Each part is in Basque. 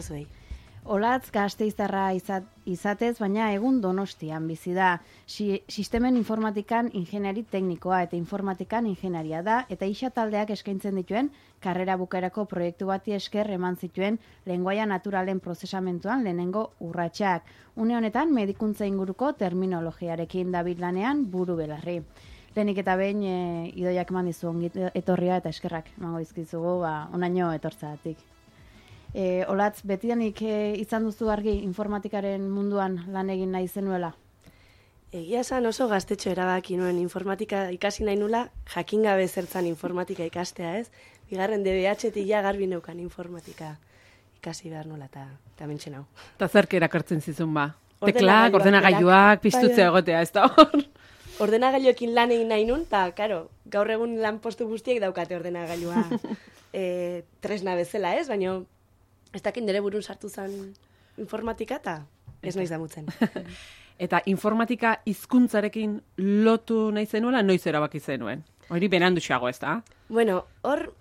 Zuei. Olatz Gasteiztarra izatez, baina egun Donostian bizi da. Sistemen informatikan ingeniari teknikoa eta informatikan ingenieria da, eta isa taldeak eskaintzen dituen karrera bukaerako proiektu bati esker eman zituen lengoaia naturalen prozesamentuan lehenengo urratsak. Une honetan medikuntza inguruko terminologiarekin dabil lanean buru belarri. Lehenik eta behin Idoiak eman dizu ongi etorria eta eskerrak emango dizkizugu onaino etortzagatik. Olatz, betidanik izan duzu argi informatikaren munduan lan egin nahi zenuela? Egia esan oso gaztetxo erabaki nuen informatika ikasi nahi nula, jakin gabe zertzan informatika ikastea, ez? Bigarren DBH-etik ja garbi neukan informatika ikasi behar nola eta mentxe nau. Eta zerk erakartzen zizun ba? Teklak, ordenagailuak, piztutzea egotea, ez da hor? Ordenagailuekin lan egin nahi nun, eta, karo, gaur egun lan postu guztiek daukate ordenagailua tresna bezala, ez? Baina ez dakit nire burun sartu zen informatika eta ez naiz damutzen. Eta informatika hizkuntzarekin lotu nahi zenuela, noiz erabaki zenuen? Hori benanduxago, ez da? Bueno, hor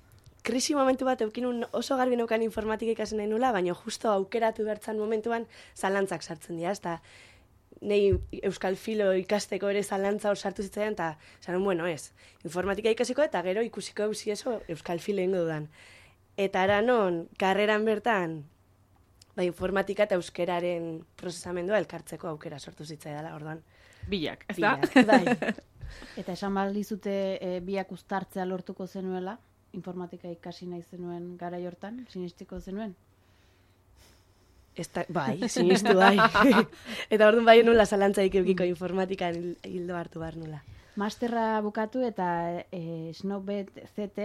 krisi momentu bat eukinun oso garbi neukan informatika ikasi nahi nula, baina justo aukeratu bertzan momentuan zalantzak sartzen dira, ez da nei euskal filo ikasteko ere zalantza hor sartu zitzaidan, eta zanon, bueno, ez, informatika ikasiko eta gero ikusiko eusi eso euskal filo ingo dudan. Eta ara non, karreran bertan, informatika eta euskeraren prozesamendua elkartzeko aukera sortu zitzaidala, orduan. Bilak, ez da? Bai. Eta esan baldizute biak uztartzea lortuko zenuela, informatika ikasi nahi zenuen garai hortan, sinistiko zenuen? Bai, sinistu bai. Eta orduan bai nula zalantzaik eukiko informatikan hildo hartu behar nula. Masterra bukatu eta Snowbet CT,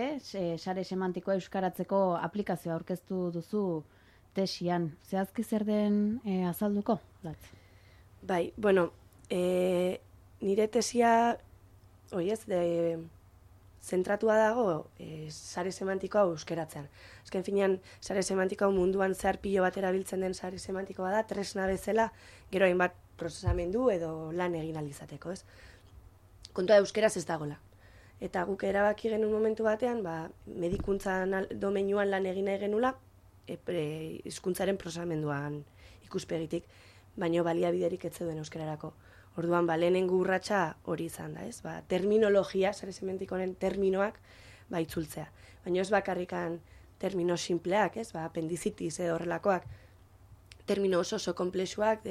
sare semantikoa euskaratzeko aplikazioa aurkeztu duzu tesian. Zehazki zer den azalduko? Latz? Bai, bueno, nire tesia, zentratua dago sare semantikoa euskaratzean. Azken finean, sare semantikoa munduan zehar pilo bat erabiltzen den sare semantikoa da, tresna bezala, gero hainbat prozesamendu edo lan egin alizateko, ez? Kontua euskeraz ez dagola. Eta guk erabaki genuen momentu batean, medikuntzan domeinuan lan egin nahi genula, hizkuntzaren prozesamenduan ikuspegitik, baino baliabiderik ez zeuden euskararako. Orduan, lehenengo urratsa hori izan da, ez? Terminologia, sare semantikoaren terminoak, itzultzea. Baina ez bakarrikan termino simpleak, ez? Apendizitis edo horrelakoak, termino oso komplexuak,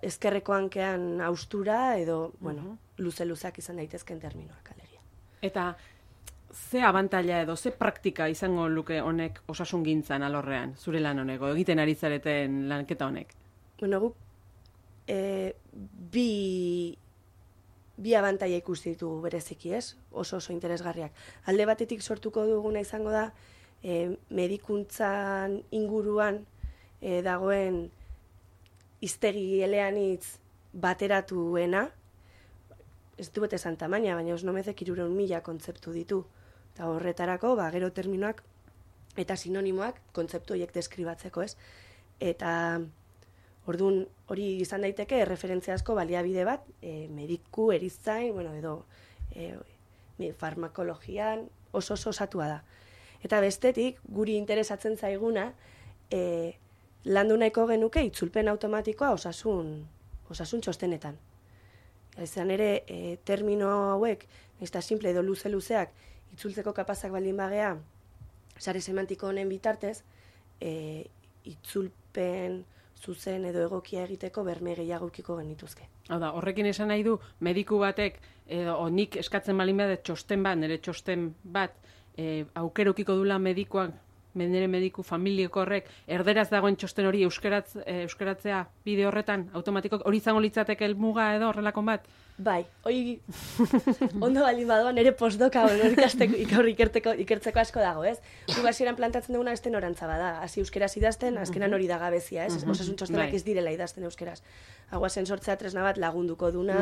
ezkerreko hankean austura edo, luze-luzeak izan daitezken terminoak, alegia. Eta ze abantaila edo, ze praktika izango luke honek osasungintzan alorrean, zure lan honek, egiten ari zareten lanketa honek? Bueno, guk bi abantaila ikusi ditugu bereziki, ez? Oso interesgarriak. Alde batetik sortuko duguna izango da, medikuntzan inguruan dagoen hiztegi eleanitz bateratuena, ez du bete esan tamaina, baina osnomezek 300.000 kontzeptu ditu. Eta horretarako, gero terminoak eta sinonimoak kontzeptu horiek deskribatzeko, ez? Eta orduan hori izan daiteke referentziazko baliabide bat, mediku, erizain, edo farmakologian oso osatua da. Eta bestetik, guri interesatzen zaiguna, landu nahiko genuke itzulpen automatikoa osasun txostenetan. Ezan ere, termino hauek, eta simple edo luzeak, itzultzeko kapazak baldin bagea, sare semantiko honen bitartez, itzulpen zuzen edo egokia egiteko berme gehiago ukiko genituzke. Horrekin esan nahi du, mediku batek, nik eskatzen balin behar txosten bat, nire txosten bat, aukerukiko dula medikuak, nire mediku familiako horrek, erderaz dagoen txosten hori euskaratzea bide horretan, automatikok, hori izango litzateke helmuga edo horrelakon bat? Bai, hori ondo baldin badoan, nire postdoka ikertzeko asko dago, ez? Guk hasieran plantatzen duguna beste norantza bada, hasi euskeraz idazten, azkenan hori da gabezia, ez? Osasun txostenak ez direla idazten euskeraz. Haguazen sortzea tresna bat lagunduko duna,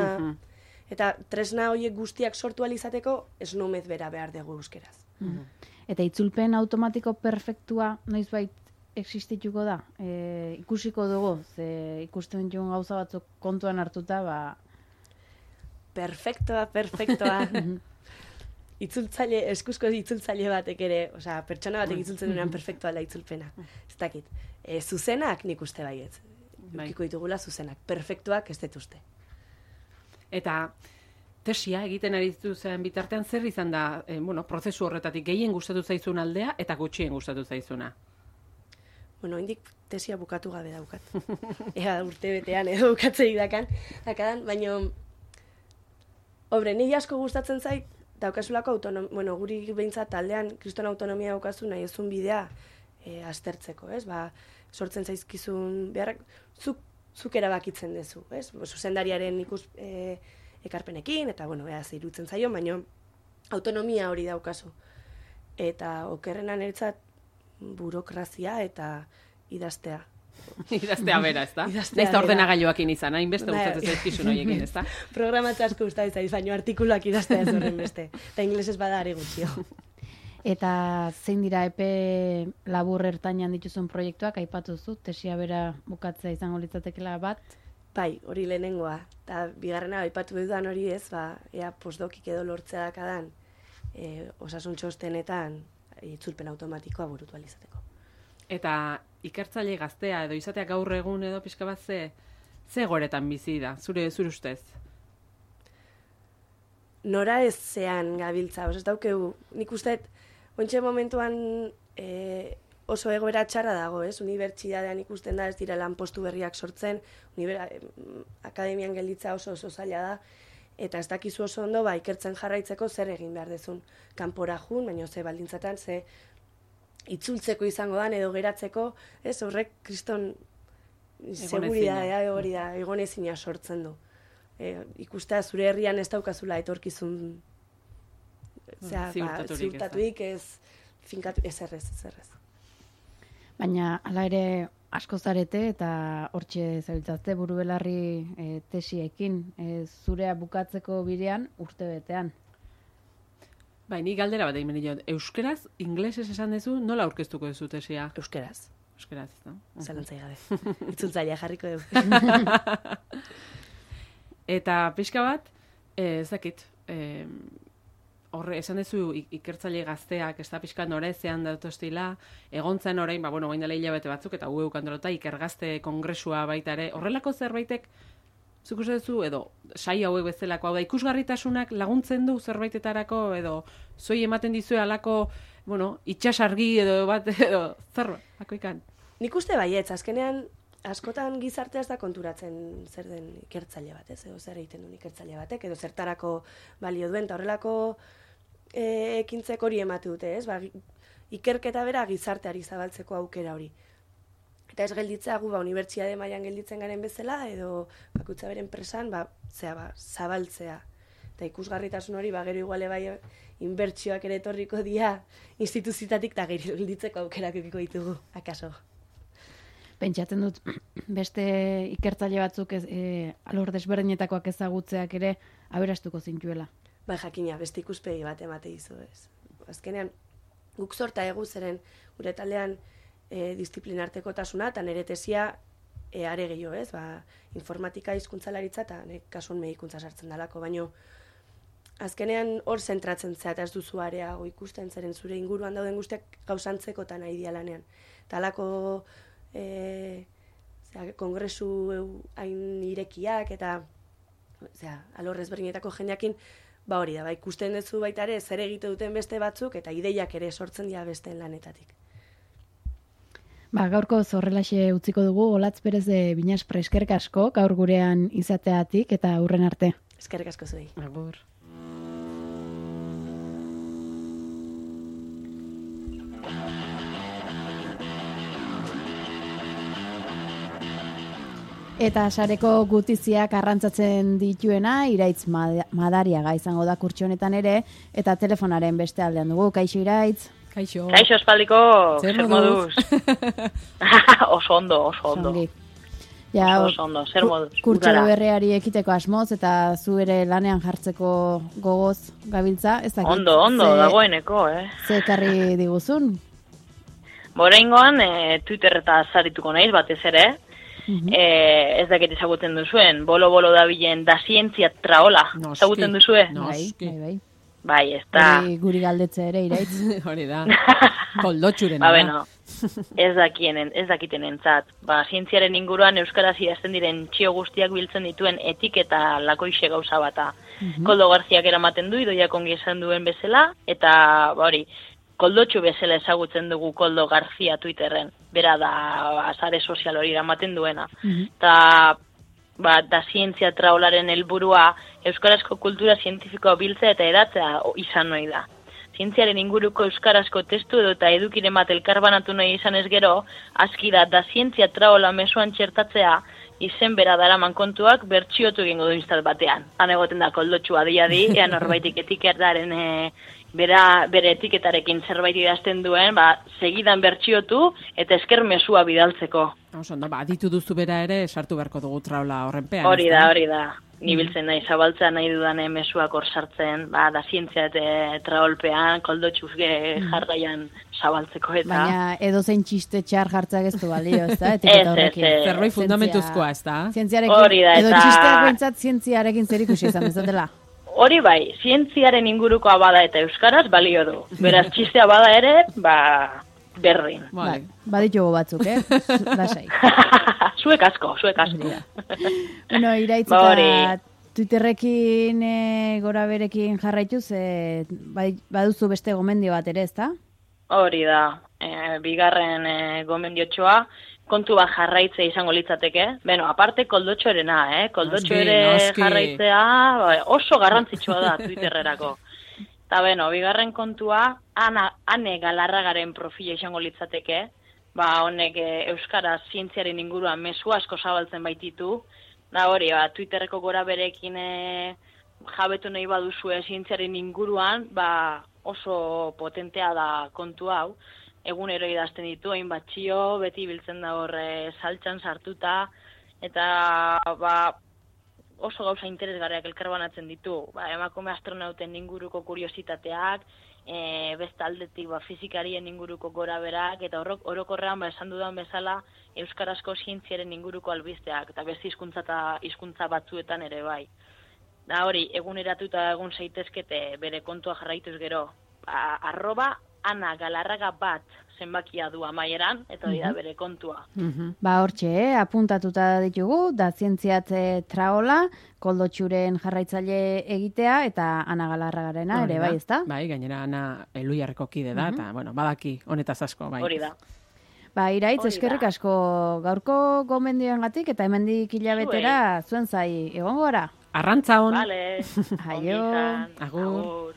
eta tresna horiek guztiak sortu alizateko, ez nomez bera behar dugu euskeraz. Eta itzulpen automatiko perfektua noizbait existituko da? Ikusiko dugu, ze ikusten dituen gauza batzuk kontuan hartuta, Perfektoa. itzultzaile, eskuzko itzultzaile batek ere, osea, pertsona batek itzultzen duenean perfektua da itzulpena. Ez dakit. Zuzenak nik uste baietz. Ukiko ditugula zuzenak. Perfektuak ez dut uste. Eta tesia egiten ari zen bitartean zer izan da, prozesu horretatik gehien gustatu zaizun aldea eta gutxien gustatu zaizuna? Bueno, indik tesia bukatu gabe daukat. Ea urte betean edo bukatzei dakadan, baina niri asko gustatzen zait, daukasulako guri behintzat taldean kriston autonomia daukazu nahi ezun bidea aztertzeko, ez? Sortzen zaizkizun beharrak, zuk erabakitzen duzu, ez? Zuzendariaren ekarpenekin, eta, irutzen zaio, baina autonomia hori daukazu. Eta okerrena niretzat burokrazia eta idaztea. Idaztea bera, ez da? Naiz ordenagailuakin izan, hainbeste gustatzen zaizkizun horiekin, ez da? Programatza asko gustatzen zaiz, baina artikuluak idaztea ez horren beste. Eta inglesez bada are gutxio. Eta zein dira epe labur ertainan dituzun proiektuak, aipatu zu, tesia bera bukatzea izango litzatekela bat? Bai, hori lehenengoa. Eta bigarrena aipatu dudan hori ez, ea postdokik edo lortzea dakadan osasun txostenetan itzulpen automatikoa burutu alizateko. Eta ikertzaile gaztea edo izatea gaur egun edo pixka bat ze goretan bizi da, zure ustez? Nora ez zean gabiltza, ez daukegu, nik usteet, ontxe momentuan oso egoera txarra dago, ez? Unibertsitatean ikusten da ez dira lanpostu berriak sortzen, akademian gelditza oso zaila da, eta ez dakizu oso ondo, ikertzen jarraitzeko zer egin behar dezun. Kanpora jun, baina ze baldintzatan, ze itzultzeko izango dan edo geratzeko, ez horrek kriston seguridadea hori da, egonezina sortzen du. Ikustea zure herrian ez daukazula etorkizun ziurtatuik ez finkatu, ez errez. Baina, hala ere, asko zarete eta hortxe zabiltzazte burubelarri tesiekin, zurea bukatzeko bidean urte betean. Bai, ni galdera bat egin benio. Euskeraz, inglesez esan duzu, nola aurkeztuko duzu tesia? Euskeraz. Euskeraz, no? Zalantzai gabe. Itzultzailea jarriko dugu. Eta pixka bat, ez dakit, horre, esan duzu ikertzaile gazteak, ez da pixka norezean datostila, egontzen orain, bain dela hilabete batzuk, eta ueu kandolota ikergazte kongresua baita ere, horrelako zerbaitek, zuk uste duzu, edo sai hauek bezalako, hau da, ikusgarritasunak laguntzen du zerbaitetarako, edo zoi ematen dizue alako, itxasargi edo bat, edo zerba, ikan. Nik uste baietz, azkenean, askotan gizartea ez da konturatzen zer den ikertzaile bat, ez? Edo zer egiten duen ikertzaile batek, edo zertarako balio duen, eta horrelako ekintzek hori emate dute, ez? Ikerketa bera gizarteari zabaltzeko aukera hori. Eta ez gelditzea gu unibertsitate mailan gelditzen garen bezala, edo bakutza beren presan, zabaltzea. Eta ikusgarritasun hori, gero iguale bai inbertsioak ere etorriko dira instituzitatik, eta gero gelditzeko aukerak edukiko ditugu, akaso. Pentsatzen dut, beste ikertzaile batzuk alor desberdinetakoak ezagutzeak ere aberastuko zintuela. Bai, jakina, beste ikuspegi bat emate dizu, ez. Azkenean, guk sorta egu zeren gure taldean disiplinartekotasuna, eta nire tesia are gehiago, ez? Informatika hizkuntzalaritza eta kasuan medikuntza sartzen dalako, baino azkenean hor zentratzen zea, eta ez duzu areago ikusten zeren zure inguruan dauden guztiak gauzantzeko eta nahi dialanean. Eta alako kongresu hain irekiak eta alor ezberdinetako jendeakin hori da, ikusten duzu baita ere zer egite duten beste batzuk eta ideiak ere sortzen dira besteen lanetatik. Gaurko horrelaxe utziko dugu, Olatz Perez de Binaspre, eskerrik asko gaur gurean izateatik eta hurren arte. Eskerrik asko zuei. Agur. Eta sareko gutiziak arrantzatzen dituena, Iraitz Madariaga izango da kurtso honetan ere, eta telefonaren beste aldean dugu. Kaixo Iraitz? Kaixo. Kaixo espaldiko, zer moduz? Oso ondo. Oso ondo, zer moduz? Kurtso berreari ekiteko asmoz, eta zu ere lanean jartzeko gogoz gabiltza. Ondo, dagoeneko, Ze ekarri diguzun? Oraingoan, Twitter eta zarituko naiz batez ere, ez dakit ezagutzen duzuen, bolo dabilen da zientzia traola, ezagutzen duzue? Bai. Bai, ez da. Guri galdetze ere, Iraitz. Hori da. Koldotxurena Ba, da. bueno, ez dakiten entzat. Ba, zientziaren inguruan euskaraz idazten diren txio guztiak biltzen dituen etiketa lakoixe gauza bata. Koldo Garziak eramaten du, Idoiak ongi esan duen bezala, eta hori, Koldotxu bezala ezagutzen dugu Koldo Garzia Twitterren. Bera da sare sozial hori eramaten duena. Eta da zientzia traolaren helburua euskarazko kultura zientifikoa biltzea eta edatzea izan nahi da. Zientziaren inguruko euskarazko testu edo eta edukiren bat elkarbanatu nahi izan ez gero, aski da zientzia traola mezuan txertatzea izen bera daraman kontuak bertsiotu egingo du instal batean. Han egoten da Koldotxua di, ea norbaitik etiketaren bere etiketarekin zerbait idazten duen, segidan bertsiotu eta esker mezua bidaltzeko. Ondo, aditu duzu bera ere, sartu beharko dugu traola horrenpean. Hori da. Ni biltzen nahi, zabaltzea nahi dudan mezuak hor sartzen, da zientzia eta traolpean, Koldotxuz jarraian zabaltzeko eta... Baina edozein txiste txar jartzak ez du balio, ez da? Etiketa horrekin. Zerbait fundamentuzkoa, ez da? Hori da, edo txisteak behintzat zientziarekin zer ikusi izan dezatela. Hori bai, zientziaren ingurukoa bada eta euskaraz balio du. Beraz, txistea bada ere, berdin. Baditugu batzuk, Lasai. Zuek asko. Bueno, Iraitz eta Twitterrekin gora berekin jarraituz, baduzu beste gomendio bat ere, ez da? Hori da, bigarren gomendiotxoa, kontu bat jarraitzea izango litzateke. Beno, aparte Koldotxoarena, Koldotxo ere jarraitzea oso garrantzitsua da Twitterrerako. Eta beno, bigarren kontua, Ane Galarragaren profila izango litzateke, honek euskaraz zientziaren inguruan mezu asko zabaltzen baititu, hori, Twitterreko gora berekin jabetu nahi baduzue zientziaren inguruan, oso potentea da kontu hau, egunero idazten ditu, hainbat txio, beti biltzen da horre saltxan sartuta, eta oso gauza interesgarriak elkarbanatzen ditu. Emakume astronauten inguruko kuriositateak, beste aldetik fizikarien inguruko gora berak, eta orokorrean esan dudan bezala euskarazko zientziaren inguruko albisteak, eta beste hizkuntza batzuetan ere bai. Da hori, eguneratuta egun zaitezkete bere kontua jarraituz gero, @Ana Galarraga bat zenbakia du amaieran, eta hori da bere kontua. Hortxe, apuntatuta ditugu, da zientziat traola, Koldotxuren jarraitzaile egitea, eta Ana Galarragarena ere, bai, ez da? Bai, gainera Ana Eluiarreko kide da, eta, badaki honetaz asko, bai. Hori da. Iraitz, eskerrik asko gaurko gomendioengatik, eta hemendik hilabetera zuen zai, egongo gara? Arrantza hon. Vale. Aio. Agur.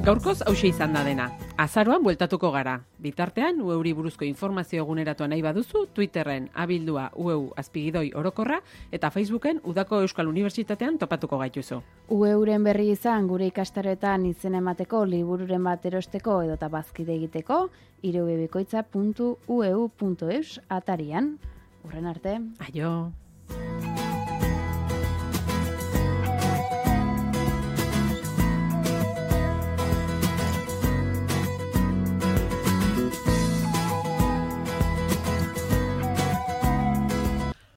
Gaurkoz hauxe izan da dena. Azaroan bueltatuko gara. Bitartean, ueuri buruzko informazio eguneratu nahi baduzu, Twitterren abildua ueu_azpigidoi orokorra eta Facebooken Udako Euskal Unibertsitatean topatuko gaituzu. Ueuren berri izan gure ikastaroetan izen emateko, libururen bat erosteko edota bazkide egiteko, irubebikoitza.ueu.eus atarian. Urren arte. Aio.